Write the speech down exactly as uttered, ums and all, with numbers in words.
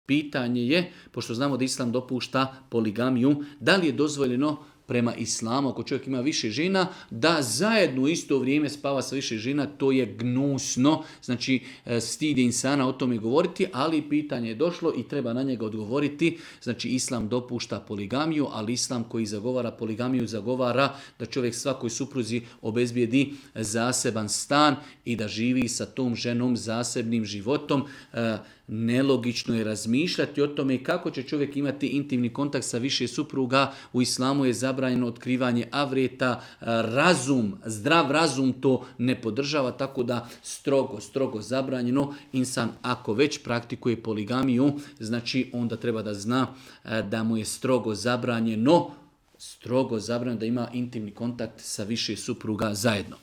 Pitanje je, pošto znamo da Islam dopušta poligamiju, da li je dozvoljeno prema islamu, ako čovjek ima više žena, da zajedno u isto vrijeme spava sa više žena, to je gnusno, znači stid je insana o tome govoriti, ali pitanje je došlo i treba na njega odgovoriti. Znači Islam dopušta poligamiju, ali Islam koji zagovara poligamiju zagovara da čovjek svakoj supruzi obezbijedi zaseban stan i da živi sa tom ženom zasebnim životom. Nelogično je razmišljati o tome kako će čovjek imati intimni kontakt sa više supruga. U islamu je zabranjeno otkrivanje avreta, razum, zdrav razum to ne podržava, tako da strogo, strogo zabranjeno. Insan ako već praktikuje poligamiju, znači onda treba da zna da mu je strogo zabranjeno, strogo zabranjeno da ima intimni kontakt sa više supruga zajedno.